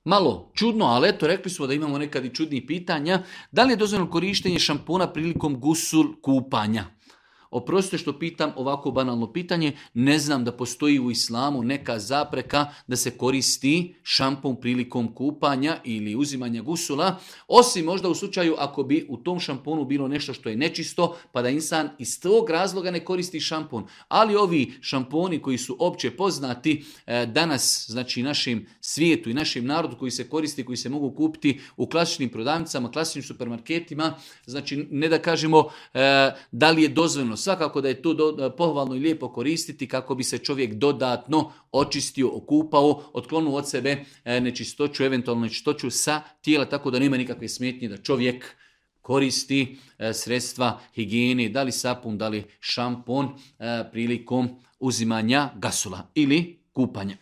Malo čudno, ali eto, rekli smo da imamo nekad i čudnih pitanja. Da li je dozvoljeno korištenje šampona prilikom gusul kupanja? Oprostite što pitam ovako banalno pitanje, ne znam da postoji u islamu neka zapreka da se koristi šampon prilikom kupanja ili uzimanja gusula, osim možda u slučaju ako bi u tom šamponu bilo nešto što je nečisto, pa da insan iz tog razloga ne koristi šampon. Ali ovi šamponi koji su opće poznati danas, znači našem svijetu i našem narodu koji se koristi, koji se mogu kupiti u klasičnim prodavnicama, klasičnim supermarketima, znači ne da kažemo da li je dozvoljeno. Svakako da je to pohvalno i lijepo koristiti kako bi se čovjek dodatno očistio, okupao, otklonio od sebe nečistoću, eventualno nečistoću sa tijela, tako da nema nikakve smetnje da čovjek koristi sredstva higijene, da li sapun, da li šampon prilikom uzimanja gasula ili kupanja.